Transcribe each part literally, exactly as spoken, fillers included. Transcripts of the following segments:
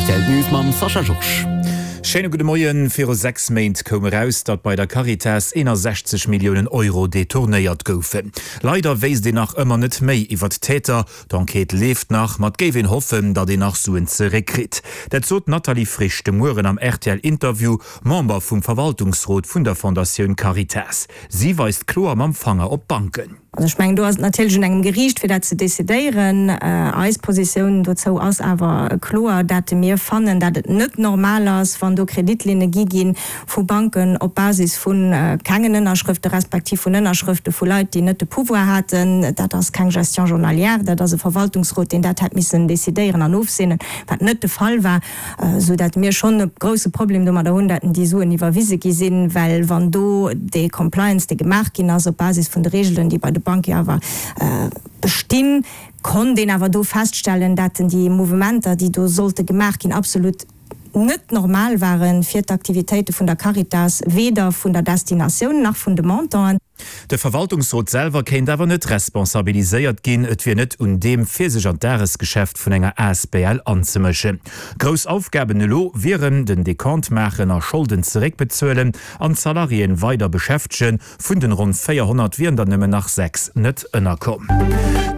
Rtl News mam Sascha Georges. Schéine gudde Moien. Viru sechs Méint koum eraus, datt bei der Caritas eenasechzeg Milliounen Euro detournéiert goufen. Leider wéisst een nach ëmmer net méi iwwert d'Täter. D'Enquête leeft nach, ma et géif een hoffen, datt een nach Suen zeréckkritt. Dat sot d'Nathalie Frisch de Mueren am rtl Interview, Member vum Verwaltungsrot vun der Fondatioun Caritas. Si weist kloer mam Fanger op d'Banken. Also ech mengen, do ass et natierlech un engem Geriicht, fir dat ze decidéieren. Eis Positioun dozou ass awer kloer, dat mir fannen, dat et net normal ass, wann do Kreditlinne gi gi vu Banken op Basis vu kengen Ënnerschrëfte respektiv vun Ënnerschrëfte vu Leit, déi net de Pouvoir haten. Dat ass keng Gestion journalière, dat ass e Verwaltungsrot, deen dat hätt missen decidéieren an ofseenen, wat net de Fall war, esou dat mir schonn e grouse Problem domadder hunn, dat déi Suen iwwerwise gi sinn, well wann do dee Compliance, dee gemaach ginn ass op Basis vun de Regelen, déi bei de Banque awer bestinn, konnt een awer do feststellen, dat déi Mouvementer, déi do sollte gemaach ginn, absolut net normal ware fir d'Aktivitéite vun der Caritas, weder vun der Destinatioun nach vun de Montanten. De Verwaltungsrot selwer kéint awer net responsabiliséiert ginn, et wier net un deem, fir sech an d'Dagesgeschäft vun enger asbl anzemëschen. Grouss Aufgaben elo wieren, den Dekont maachen a Scholden zeréckbezuelen an d'Salariéen weider beschäftegen. Vun den ronn véierhonnert wieren der nëmmen nach sechs net ënnerkomm.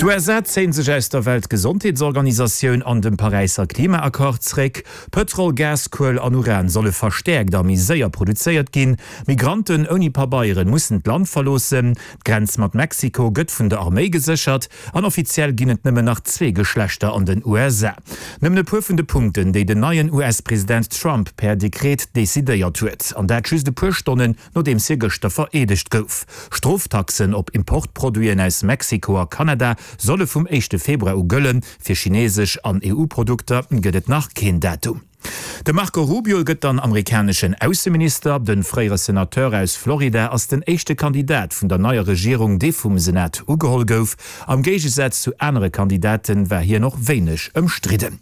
D'USA zéien sech aus der Weltgesondheetsorganisatioun an dem Paräisser Klimaaccord zréck. Pëtrol, Gas, Kuel an Uran solle verstäerkt a méi séier produzéiert ginn. Migranten ouni Pabeieren mussen d'Land verloossen. D'Grenz mat Mexiko gëtt vun der Arméi geséchert an offiziell ginn et nëmmen nach zwee Geschlechter an den U S A. Nëmmen e puer vun de Punkten, déi den neien U S-President Trump per Dekret decidéiert huet. An dat just e puer Stonnen, nodeems hie gëschter vereedegt gouf. Stroftaxen op Importproduiten aus Mexiko a Kanada solle vum éischte Februar u gëllen. Fir chinesesch an E U-Produkter gëtt et nach keen Datum. De Marco Rubio gëtt dann amerikaneschen Ausseminister. De fréiere Senateur aus Florida ass den éischte Kandidat vun der neier Regierung, dee vum Senat ugeholl gouf. Am Géigesaz zu anere Kandidate war hien och wéineg ëmstridden.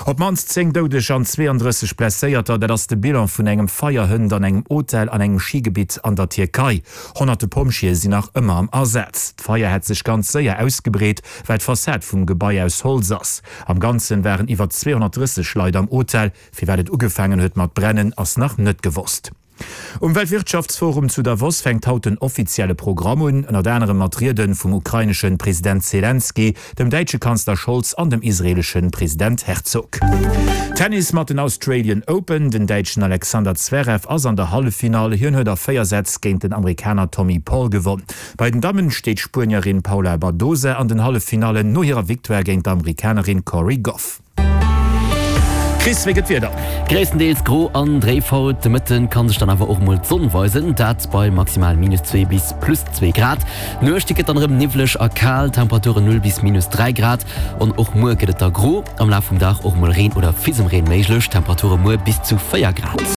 Op d'mannst zéng Doudeg an zweeandrësseg Blesséierter, dat ass de Bilan vun engem Feier hënt an engem Hotel an engem Schigebitt an der Tierkei. Honnerte Pompjeeë sinn nach ëmmer am Asaz. D'Feier hätt sech ganz séier ausgebreet, well d'Fassad vum Gebai aus Holz ass. Am Ganzen waren iwwer zweehonnertdrësseg Leit am Hotel. Firwat et ugefaangen huet mat brennen, ass nach net gewosst. Um Weltwirtschaftsforum zu Davos fänkt haut den offizielle Programm un, ënnert anerem mat Riede vum ukrainesche President Selenskyj, dem däitsche Kanzler Scholz an dem israeelesche President Herzog. Tennis mat den Australian Open, Den däitschen Alexander Zverev ass an der Halleffinall, hien huet a véier Sätz géint den Amerikaner Tommy Paul gewonn. Bei den Dammen steet d'Spuenierin Paula Badosa an den Halleffinallen no hirer Victoire géint d'Amerikanerin Cori Gauff. Chris, wéi gëtt d'Wieder? Gréisstendeels gro an dréif haut, de Mëtten kann sech dann awer och mol d'Sonn weisen, dat bei maximal minus zwee bis plus zwee Grad. D'Nuecht déi gëtt dann erëm niwwleg a kal, Temperaturen null bis minus dräi Grad. An och muer gëtt et da gro, am Laf vum Dag och mol Reen oder Fisemreen méiglech, Temperature muer bis zu véier Grad.